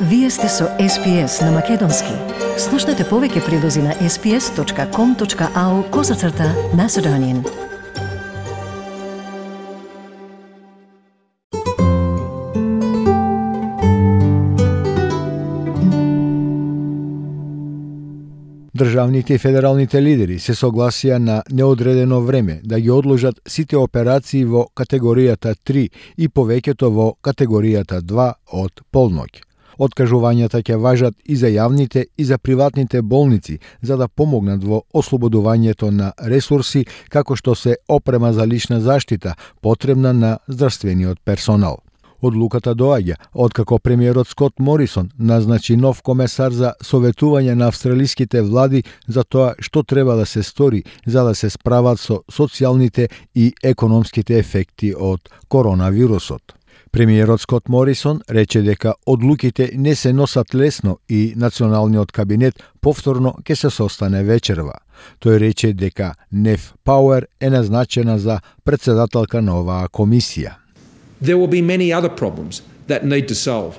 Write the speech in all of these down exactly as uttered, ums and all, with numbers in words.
Вие сте со Ес Пи Ес на Македонски. Слушнете повеќе прилози на ес пи ес точка ком точка ау козацрта Macedonian. Државните и федералните лидери се согласија на неодредено време да ги одложат сите операции во категоријата три и повеќето во категоријата два од полноќ. Откажувањата ќе важат и за јавните и за приватните болници за да помогнат во ослободувањето на ресурси како што се опрема за лична заштита потребна на здравствениот персонал. Одлуката доаѓа откако премиерот Скот Морисон назначи нов комесар за советување на австралиските влади за тоа што треба да се стори за да се справат со социјалните и економските ефекти од коронавирусот. Премиерот Скот Морисон рече дека одлуките не се носат лесно и националниот кабинет повторно ќе се состане вечерва. Тој рече дека Нев Пауер е назначена за претседателка на оваа комисија. There will be many other problems that need to solve.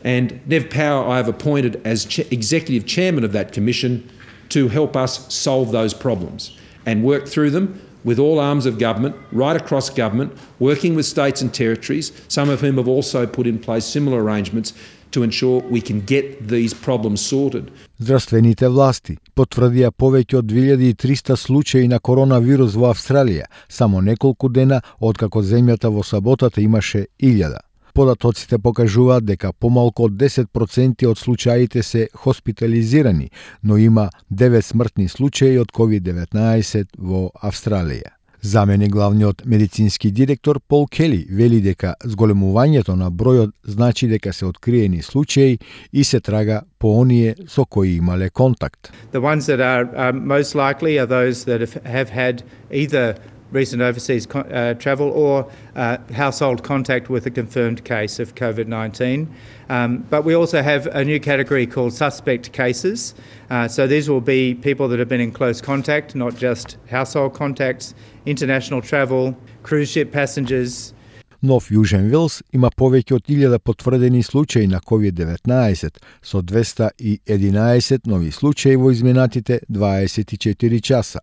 And Nev Power I have appointed as ch- executive chairman of that commission to help us solve those problems and work through them with all arms of government, right across government, working with states and territories, some of whom have also put in place similar arrangements to ensure we can get these problems sorted. Здравствените власти потврдија повеќе од две илјади и триста случаи на коронавирус во Австралија, само неколку дена откако земјата во саботата имаше илјада. Податоците покажуваат дека помалку од десет проценти од случаите се хоспитализирани, но има девет смртни случаи од ковид деветнаесет во Австралија. Заменик главниот медицински директор Пол Кели вели дека зголемувањето на бројот значи дека се откриени случаи и се трага по оние со кои имале контакт. The ones that are uh, most likely are those that have, have had either recent overseas uh, travel or uh, household contact with a confirmed case of COVID nineteen. Um, but we also have a new category called suspect cases. Uh, so these will be people that have been in close contact, not just household contacts, international travel, cruise ship passengers. Нов Јужен Велс има повеќе од илјада потврдени случаи на ковид деветнаесет, со двеста и единаесет нови случаи во изминатите дваесет и четири часа.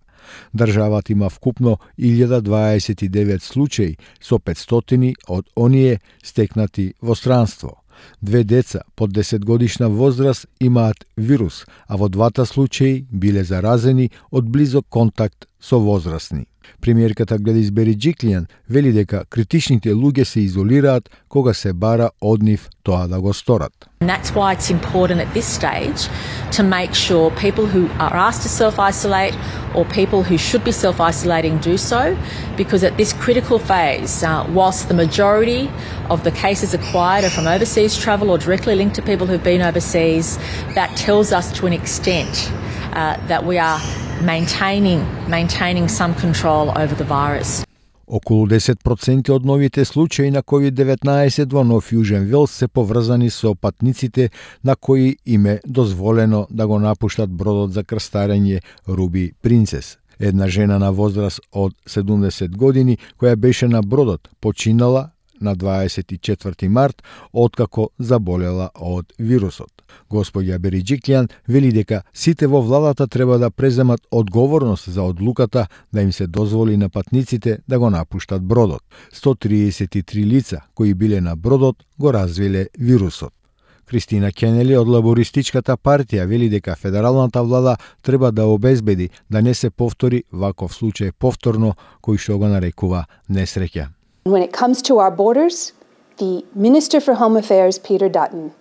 Државата има вкупно илјада дваесет и девет случаи, со петстотини од оние стекнати во странство. Две деца под десет годишна возраст имаат вирус, а во двата случаи биле заразени од близок контакт со возрастни. Премиерката Гледис Бериџиклијан вели дека критичните луѓе се изолираат кога се бара од нив тоа да го сторат. And that's why it's important at this stage to make sure people who are asked to self-isolate or people who should be self-isolating do so, because at this critical phase, uh, whilst the majority of the cases acquired are from overseas travel or directly linked to people who've been overseas, that tells us to an extent uh, that we are maintaining maintaining some control over the virus. Околу десет проценти од новите случаи на ковид деветнаесет во Нов Јужен Велс се поврзани со патниците на кои им е дозволено да го напуштат бродот за крстарење Руби Принцес. Една жена на возраст од седумдесет години која беше на бродот починала на дваесет и четврти март откако заболела од вирусот. Господја Бериџиклијан вели дека сите во владата треба да преземат одговорност за одлуката да им се дозволи на патниците да го напуштат бродот. сто триесет и три лица кои биле на бродот го развиле вирусот. Кристина Кенели од Лабористичката партија вели дека федералната влада треба да обезбеди да не се повтори ваков случај повторно кој што го нарекува несреќа. When it comes to our borders, the Minister for Home Affairs, Peter Dutton,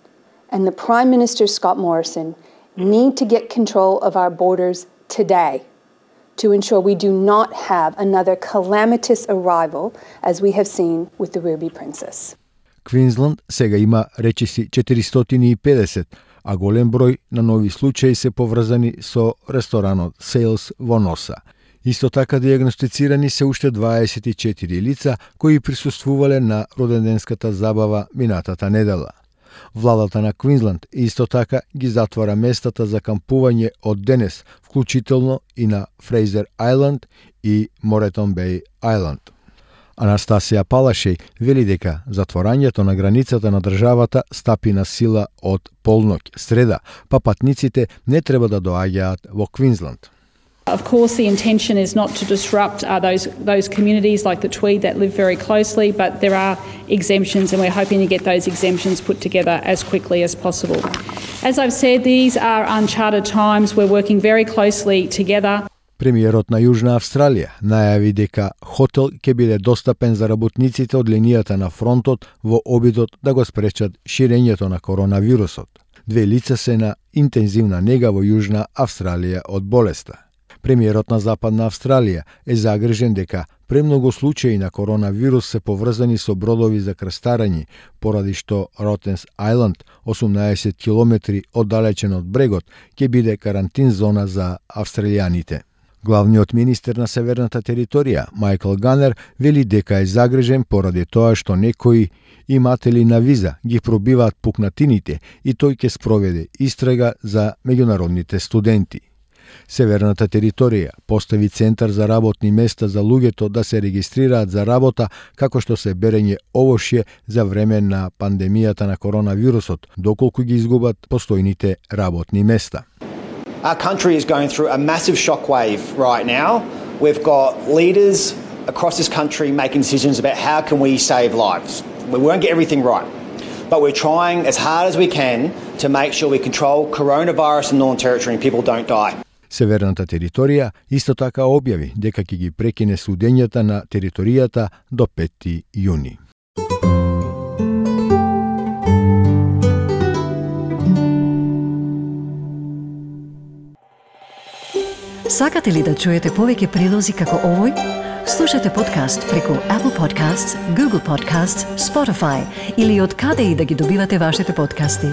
and the Prime Minister, Scott Morrison, need to get control of our borders today to ensure we do not have another calamitous arrival as we have seen with the Ruby Princess. Квинсленд сега има речиси четиристотини и педесет, а голем број на нови случаи се поврзани со ресторанот Sales во Носа. Исто така диагностицирани се уште дваесет и четири лица кои присуствувале на роденденската забава минатата недела. Владата на Квинсленд исто така ги затвора местата за кампување од денес, вклучително и на Фрейзер Ајланд и Моретон Беј Ајланд. Анастасија Палашеј вели дека затворањето на границата на државата стапи на сила од полноќ среда, па патниците не треба да доаѓаат во Квинсленд. Of course, the intention is not to disrupt uh, those those communities like the Tweed that live very closely, but there are exemptions, and we're hoping to get those exemptions put together as quickly as possible. As I've said, these are uncharted times. We're working very closely together. Премиерот на Јужна Австралија најави дека хотел ќе биде достапен за работниците од линијата на фронтот во обидот да го спречат ширењето на коронавирусот. Две лица се на интензивна нега во Јужна Австралија од болеста. Премиерот на Западна Австралија е загрижен дека премногу случаи на коронавирус се поврзани со бродови за крстарање, поради што Ротенс Ајланд, осумнаесет километри оддалечен од брегот, ќе биде карантин зона за австралијаните. Главниот министер на Северната територија, Майкл Ганер, вели дека е загрижен поради тоа што некои иматели на виза ги пробиваат пукнатините и тој ќе спроведе истрага за меѓународните студенти. Северната територија постави центар за работни места за луѓето да се регистрираат за работа, како што се берење овошје за време на пандемијата на коронавирусот, доколку ги изгубат постојните работни места. Our country is going through a massive shockwave right now. We've got leaders across this country making decisions about how can we save lives. We won't get everything right, but we're trying as hard as we can to make sure we control coronavirus in Northern Territory and people don't die. Северната територија исто така објави дека ќе ги прекине судењата на територијата до пети јуни. Сакате ли да чуете повеќе прилози како овој? Слушате подкаст преку Apple Podcasts, Google Podcasts, Spotify или од каде и да ги добивате вашите подкасти.